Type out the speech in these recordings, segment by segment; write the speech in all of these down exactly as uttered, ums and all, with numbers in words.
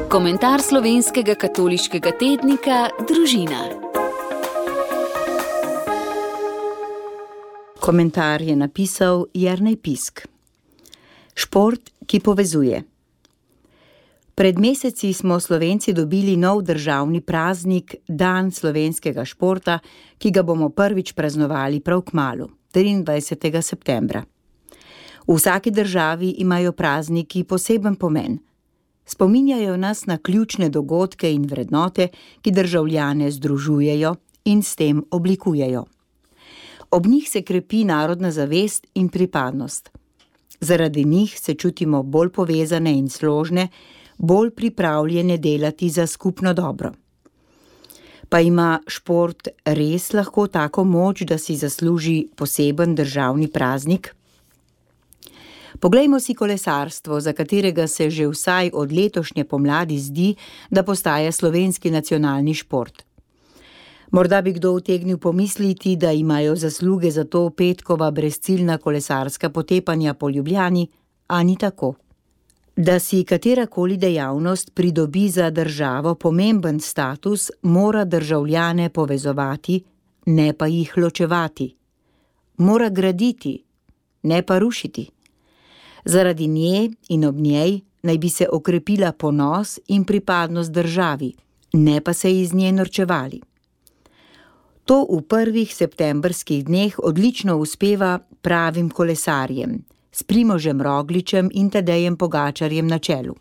Komentar slovenskega katoliškega tednika Družina. Komentar je napisal Jernej Pisk. Šport, ki povezuje. Pred meseci smo Slovenci dobili nov državni praznik, dan slovenskega športa, ki ga bomo prvič praznovali prav kmalu, triindvajsetega septembra. V vsaki državi imajo prazniki poseben pomen. Spominjajo nas na ključne dogodke in vrednote, ki državljane združujejo in s tem oblikujejo. Ob njih se krepi narodna zavest in pripadnost. Zaradi njih se čutimo bolj povezane in složne, bolj pripravljene delati za skupno dobro. Pa ima šport res lahko tako moč, da si zasluži poseben državni praznik? Poglejmo si kolesarstvo, za katerega se že vsaj od letošnje pomladi zdi, da postaja slovenski nacionalni šport. Morda bi kdo utegnil pomisliti, da imajo zasluge za to petkova brezciljna kolesarska potepanja po Ljubljani, a ni tako. Da si katerakoli dejavnost pridobi za državo pomemben status, mora državljane povezovati, ne pa jih ločevati. Mora graditi, ne pa rušiti. Zaradi nje in ob njej naj bi se okrepila ponos in pripadnost državi, ne pa se iz nje norčevali. To v prvih septembrskih dneh odlično uspeva pravim kolesarjem, s Primožem Rogličem in Tadejem Pogačarjem na čelu.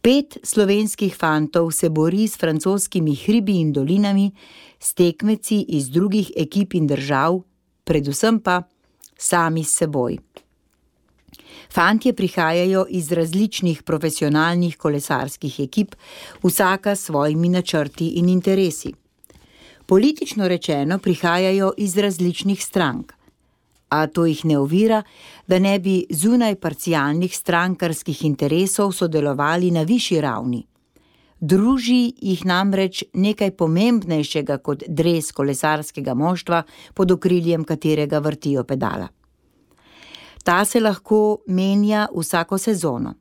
Pet slovenskih fantov se bori s francoskimi hribi in dolinami, s tekmeci iz drugih ekip in držav, predvsem pa sami s seboj. Fantje prihajajo iz različnih profesionalnih kolesarskih ekip, vsaka s svojimi načrti in interesi. Politično rečeno prihajajo iz različnih strank, a to jih ne ovira, da ne bi zunaj parcialnih strankarskih interesov sodelovali na višji ravni. Druži jih namreč nekaj pomembnejšega kot dres kolesarskega moštva, pod okriljem katerega vrtijo pedala. Ta se lahko menja vsako sezono,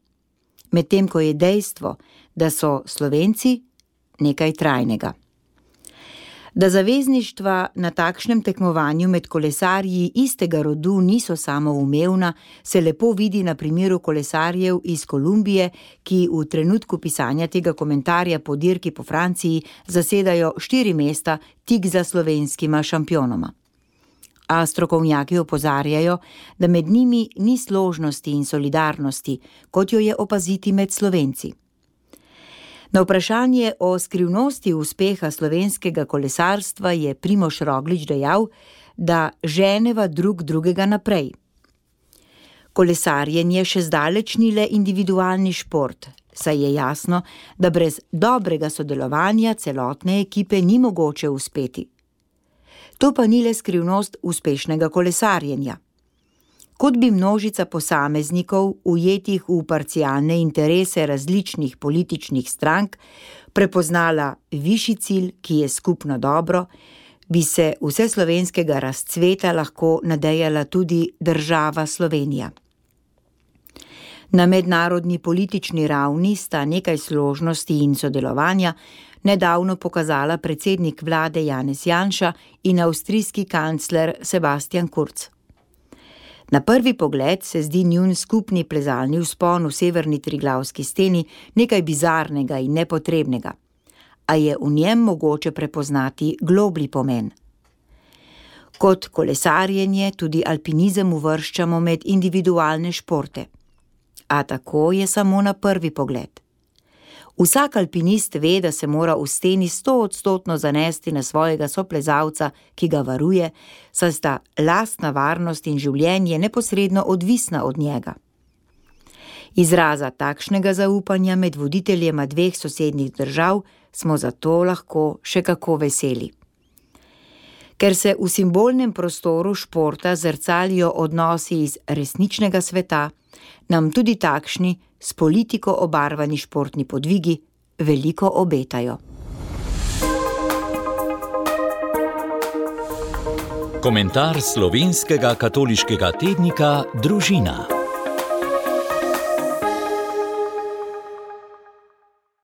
medtem ko je dejstvo, da so Slovenci nekaj trajnega. Da zavezništva na takšnem tekmovanju med kolesarji istega rodu niso samoumevna, se lepo vidi na primeru kolesarjev iz Kolumbije, ki v trenutku pisanja tega komentarja po dirki po Franciji zasedajo štiri mesta tik za slovenskima šampionoma. A strokovnjaki opozarjajo, da med njimi ni složnosti in solidarnosti, kot jo je opaziti med Slovenci. Na vprašanje o skrivnosti uspeha slovenskega kolesarstva je Primož Roglič dejal, da ženeva drug drugega naprej. Kolesarjenje še zdaleč ni le individualni šport, saj je jasno, da brez dobrega sodelovanja celotne ekipe ni mogoče uspeti. To pa ni le skrivnost uspešnega kolesarjenja. Kot bi množica posameznikov, ujetih v parcialne interese različnih političnih strank, prepoznala višji cilj, ki je skupno dobro, bi se vseslovenskega razcveta lahko nadejala tudi država Slovenija. Na mednarodni politični ravni sta nekaj složnosti in sodelovanja nedavno pokazala predsednik vlade Janez Janša in avstrijski kancler Sebastian Kurz. Na prvi pogled se zdi njun skupni plezalni vzpon v severni Triglavski steni nekaj bizarnega in nepotrebnega, a je v njem mogoče prepoznati globlji pomen. Kot kolesarjenje tudi alpinizem uvrščamo med individualne športe, a tako je samo na prvi pogled. Vsak alpinist ve, da se mora v steni stoodstotno zanesti na svojega soplezalca, ki ga varuje, saj sta lastna varnost in življenje neposredno odvisna od njega. Izraza takšnega zaupanja med voditeljema dveh sosednjih držav smo zato lahko še kako veseli. Ker se v simbolnem prostoru športa zrcalijo odnosi iz resničnega sveta, nam tudi takšni, s politiko obarvani športni podvigi veliko obetajo. Komentar slovenskega katoliškega tednika Družina.